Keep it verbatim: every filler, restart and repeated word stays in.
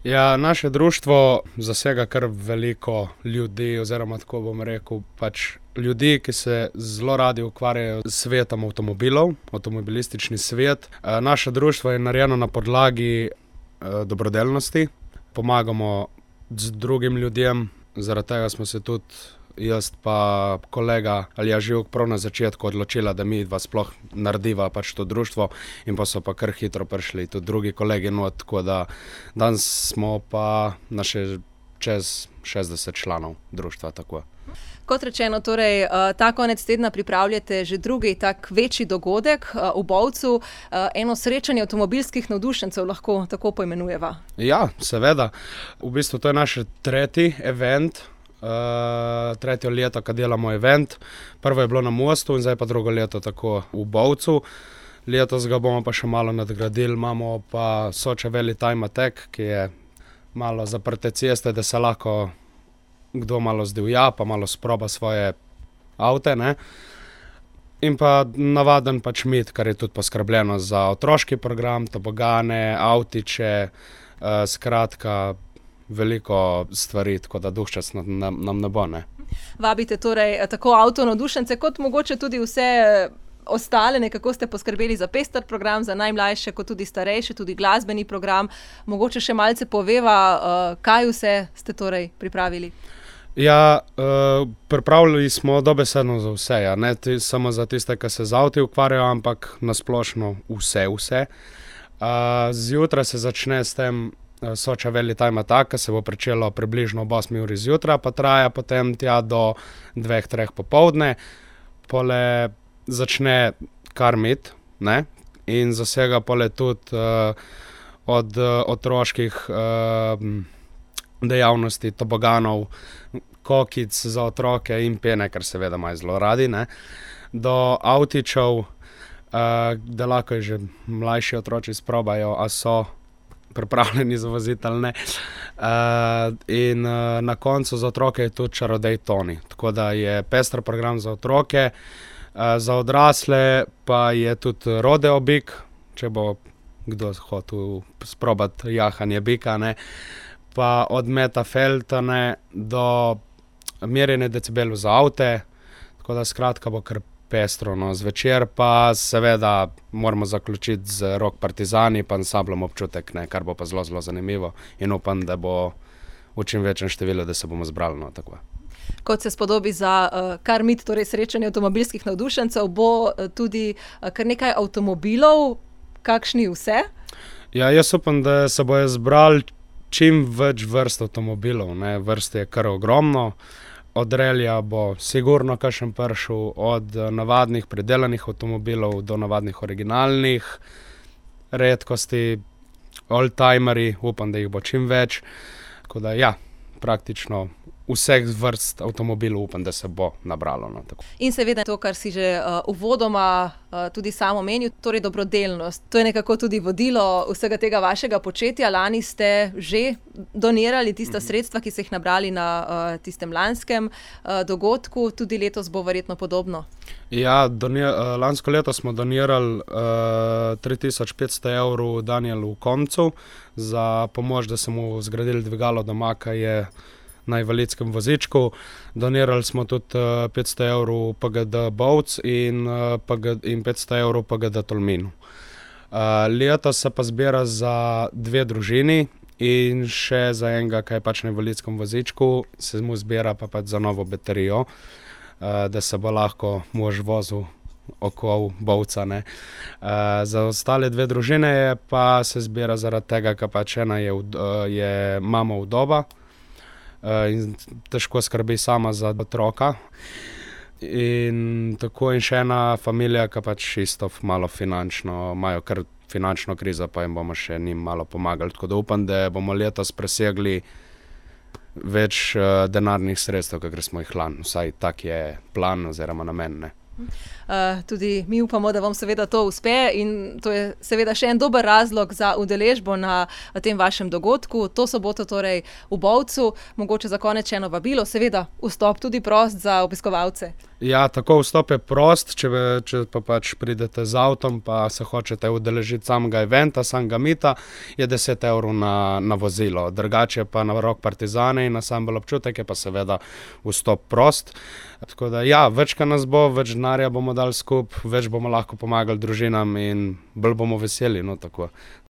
Ja, naše društvo zasega kar veliko ljudi, oziroma tako bom rekel, pač ljudi, ki se zelo radi ukvarjajo s svetom avtomobilov, avtomobilistični svet. Naše društvo je narejeno na podlagi dobrodelnosti. Pomagamo z drugim ljudem, zaradi tega smo se tudi jaz pa kolega Aljaž Jug prav na začetku odločila, da mi dva sploh narediva pač to društvo, in pa so pa kar hitro prišli tudi drugi kolegi not, tako da danes smo pa na še čez šestdeset članov društva, tako. Kot rečeno, torej, ta konec tedna pripravljate že drugi tak večji dogodek v Bovcu, eno srečanje avtomobilskih navdušencev, lahko tako poimenujeva. Ja, seveda. V bistvu to je naš tretji event, Uh, tretje leto, ko delamo event. Prvo je bilo na Mostu in zdaj pa drugo leto tako v Bovcu. Letos ga bomo pa še malo nadgradili, imamo pa Soče Valley Time Attack, ki je malo zaprte ceste, da se lahko kdo malo zdivja, pa malo sproba svoje avte, ne. In pa navaden pač mit, kar je tudi poskrbljeno za otroški program, tobogane, avtiče, uh, skratka, veliko stvari, tako da duhčas nam, nam ne bo, ne. Vabite torej tako avto navdušence, kot mogoče tudi vse ostale, nekako ste poskrbeli za pester program, za najmlajše, kot tudi starejše, tudi glasbeni program. Mogoče še malce poveva, kaj vse ste torej pripravili? Ja, pripravili smo dobesedno za vse, ja, ne samo za tiste, ki se z avti ukvarjajo, ampak na splošno vse, vse. Zjutraj se začne s tem Soče Valley Time Attack, ki se bo pričelo približno ob osmi uri zjutraj, pa traja potem tja do dveh, treh popoldne. Pole začne Car Meet, ne, in zasega pole tudi uh, od uh, otroških uh, dejavnosti, toboganov, kokic za otroke in pene, kar seveda imajo zelo radi, ne, do avtičev, uh, da lahko že mlajši otroci sprobajo, a so pripravljeni za voziti ali ne. Uh, in uh, na koncu za otroke je tudi čarodej Toni. Tako da je pester program za otroke, uh, za odrasle pa je tudi rodeo bik, če bo kdo hotel sprobati jahanje bika, ne. Pa od meta feltane do merjenja decibelov za avte, tako da skratka bo kar pestro, no. Zvečer pa seveda moramo zaključiti z Rock Partizani pa ansamblom Občutek, ne, kar bo pa zelo, zelo zanimivo in upam, da bo v čim večjem številu, da se bomo zbrali, no, tako. Kot se spodobi za uh, Car Meet, torej srečanje avtomobilskih navdušencev, bo uh, tudi uh, kar nekaj avtomobilov, kakšni vse? Ja, jaz upam, da se bojo zbrali čim več vrst avtomobilov, ne, vrst je kar ogromno. Od relija bo sigurno kakšen prišel, od navadnih predelanih avtomobilov do navadnih originalnih, redkosti, oldtimerji, upam, da jih bo čim več. Tako da ja, praktično vseh vrst avtomobilov upam, da se bo nabralo, no, tako. In seveda to, kar si že uh, uvodoma uh, tudi sam omenil, torej dobrodelnost. To je nekako tudi vodilo vsega tega vašega početja. Lani ste že donirali tista sredstva, ki ste jih nabrali na uh, tistem lanskem uh, dogodku, tudi letos bo verjetno podobno. Ja, donir, uh, lansko leto smo donirali uh, tri tisoč petsto evrov Danielu Komcu za pomoč, da so mu zgradili dvigalo doma, ki je na invalidskem vozičku. Donirali smo tudi uh, petsto evrov P G D Bovc in, uh, P G, in petsto evrov P G D Tolminu. Uh, letos se pa zbira za dve družini in še za enega, ki je pač na invalidskem vozičku, se mu zbira pa pač za novo baterijo, uh, da se bo lahko mož vozil okoli Bovca, ne. Uh, za ostale dve družine je pa se zbira zaradi tega, ker pač ena je, uh, je mama vdova, in težko skrbi sama za otroka. In tako in še ena familija, ki pač isto malo finančno, imajo kar finančno krizo, pa jim bomo še njim malo pomagali. Tako da upam, da bomo letos presegli več uh, denarnih sredstev, kakor smo jih lani. Vsaj tak je plan oziroma namen, ne. Uh, tudi mi upamo, da vam seveda to uspe in to je seveda še en dober razlog za udeležbo na tem vašem dogodku. To soboto torej v Bovcu, mogoče za konec še eno vabilo, seveda vstop tudi prost za obiskovalce. Ja, tako vstop je prost, če, če pa pač pridete z avtom, pa se hočete udeležiti samega eventa, samega mita, je deset evrov na, na vozilo. Drugače pa na Rock Partizane in Ansambel Občutek je pa seveda vstop prost. Tako da ja, več ka nas bo, več denarja bomo dali skup, več bomo lahko pomagali družinam in bolj bomo veseli, no tako.